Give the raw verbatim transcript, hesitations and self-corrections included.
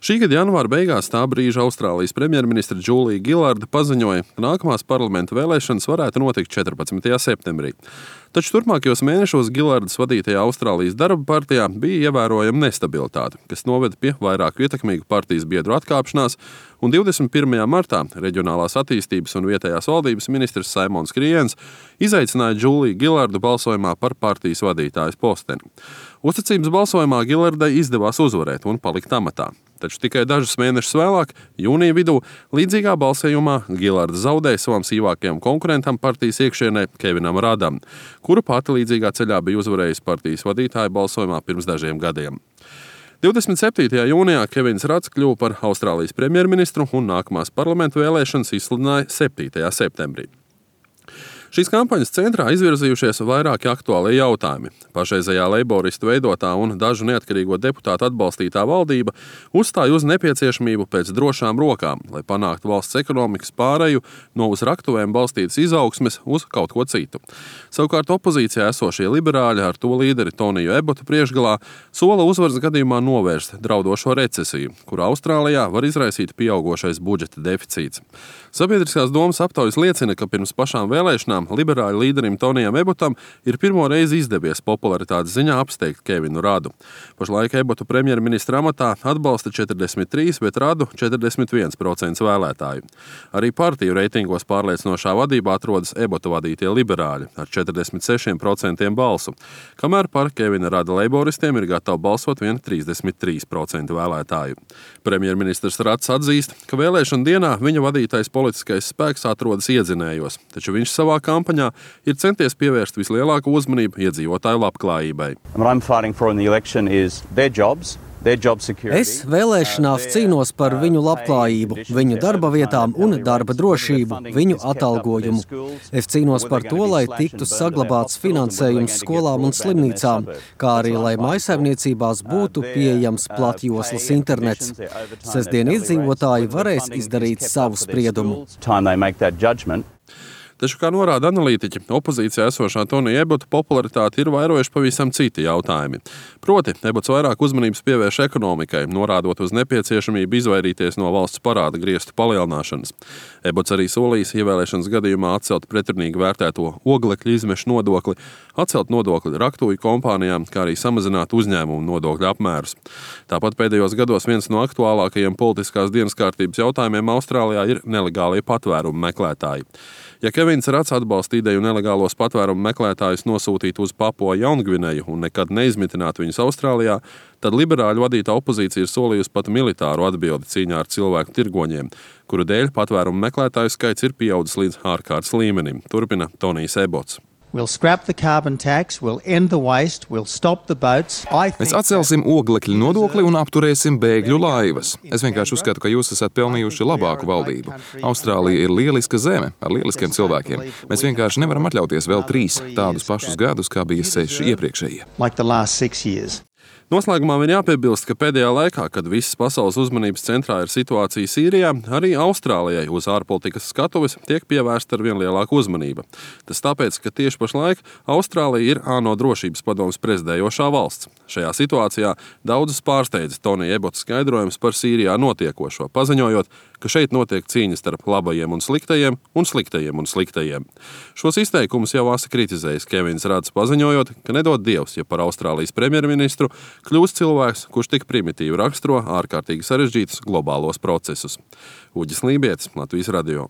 Šī gada janvāra beigās tā brīža Austrālijas premjerministre Džūlija Gilarda paziņoja, ka nākamās parlamenta vēlēšanas varētu notikt četrpadsmitajā septembrī. Taču turpmākajos mēnešos Gilardas vadītajā Austrālijas darba partijā bija ievērojama nestabilitāte, kas noveda pie vairāku ietekmīgu partijas biedru atkāpšanās, un divdesmit pirmajā martā Reģionālās attīstības un vietējās valdības ministrs Saimons Kriens izaicināja Džūliju Gilardu balsojumā par partijas vadītājas posteni. Uzticības balsojumā Gilardai izdevās uzvarēt un palikt amatā. Taču tikai dažus mēnešus vēlāk, jūnija vidū, līdzīgā balsojumā Gilarda zaudēja savam sīvākajam konkurentam partijas iekšienē Kevinam Radam, kuru pati līdzīgā ceļā bija uzvarējis partijas vadītāja balsojumā pirms dažiem gadiem. divdesmit septītajā jūnijā Kevins Rads kļuva par Austrālijas premjerministru un nākamās parlamenta vēlēšanas izsludināja septītajā septembrī. Šīs kampaņas centrā izvirzījušies vairāki aktuālie jautājumi. Pašreizējā leiboristu veidotā un dažu neatkarīgo deputātu atbalstītā valdība uzstāja uz nepieciešamību pēc drošām rokām, lai panāktu valsts ekonomikas pāreju no uz raktuvēm balstītas izaugsmes uz kaut ko citu. Savukārt opozīcijā esošie liberāļi ar to līderi Toniju Ebotu priekšgalā sola uzvaras gadījumā novērst draudošo recesiju, kura Austrālijā var izraisīt pieaugošais budžeta deficīts. Sabiedriskās domas aptaujas liecina, ka pirms pašām vēlēšanām liberāļu līderim Tonijam Ebotam ir pirmo reizi izdevies popularitātes ziņā apsteigt Kevinu Radu. Pašlaik Ebotu premjerministra amatā atbalsta četrdesmit trīs, bet Radu četrdesmit viens procents vēlētāju. Arī partiju reitingos pārliecinošā vadībā atrodas Ebotu vadītie liberāļi ar četrdesmit sešiem procentiem balsu, kamēr par Kevina Rada leiboristiem ir gatavi balsot vien trīsdesmit trīs procenti vēlētāju. Premjerministrs Rads atzīst, ka vēlēšana dienā viņa vadītais politiskais spēks atrodas iedzinējos, taču viņš savā kampaņā ir centies pievērst vislielāko uzmanību iedzīvotāju labklājībai. Es vēlēšanās cīnos par viņu labklājību, viņu darba vietām un darba drošību, viņu atalgojumu. Es cīnos par to, lai tiktu saglabāts finansējums skolām un slimnīcām, kā arī lai mājsaimniecībās būtu pieejams platjoslas internets. Sestdien iedzīvotāji varēs izdarīt savu spriedumu. Taču, kā norāda analītiķi, opozīcijā esošā Tonija Ebota popularitāti ir vairojuši pavisam citi jautājumi. Proti, Ebots vairāk uzmanības pievērš ekonomikai, norādot uz nepieciešamību izvairīties no valsts parāda griestu palielināšanas. Ebots arī solījis ievēlēšanas gadījumā atcelt pretrunīgi vērtēto oglekļa izmešu nodokli, atcelt nodokli raktuvi kompānijām, kā arī samazināt uzņēmumu nodokļu apmērus. Tāpat pēdējos gados viens no aktuālākajiem politiskās dienas kārtības jautājumiem Austrālijā ir nelegālie patvērumu meklētāji. Ja Kevins Rads atbalsta ideju nelegālos patvērumu meklētājus nosūtīt uz Papua Jaungvineju un nekad neizmitināt viņus Austrālijā, tad liberāļu vadītā opozīcija ir solījusi pat militāru atbildi cīņā ar cilvēku tirgoņiem, kuru dēļ patvērumu meklētāju skaits ir pieaudzis līdz ārkārtas līmenim, turpina Tonijs Ebots. Mēs atcelsim oglekļa nodokli un apturēsim bēgļu laivas. Es vienkārši uzskatu, ka jūs esat pelnījuši labāku valdību. Austrālija ir lieliska zeme ar lieliskiem cilvēkiem. Mēs vienkārši nevaram atļauties vēl trīs tādus pašus gadus, kā bija seši iepriekšējie. Noslēgumā vien jāpiebilst, ka pēdējā laikā, kad visas pasaules uzmanības centrā ir situācija Sīrijā, arī Austrālijai uz ārpolitikas skatuves tiek pievērsta ar vien lielāku uzmanību. Tas tāpēc, ka tieši pašlaik Austrālija ir ANO drošības padomes prezidējošā valsts. Šajā situācijā daudzus pārsteidza Tonija Ebota skaidrojums par Sīrijā notiekošo, paziņojot, ka šeit notiek cīņa starp labajiem un sliktajiem un sliktajiem un sliktajiem. Šos izteikumus jau asa kritizējis Kevins Rads, paziņojot, ka nedod Dievs, ja par Austrālijas premjerministru kļūst cilvēks, kurš tik primitīvi raksturo ārkārtīgi sarežģītus globālos procesus. Uģis Lībietis, Latvijas radio.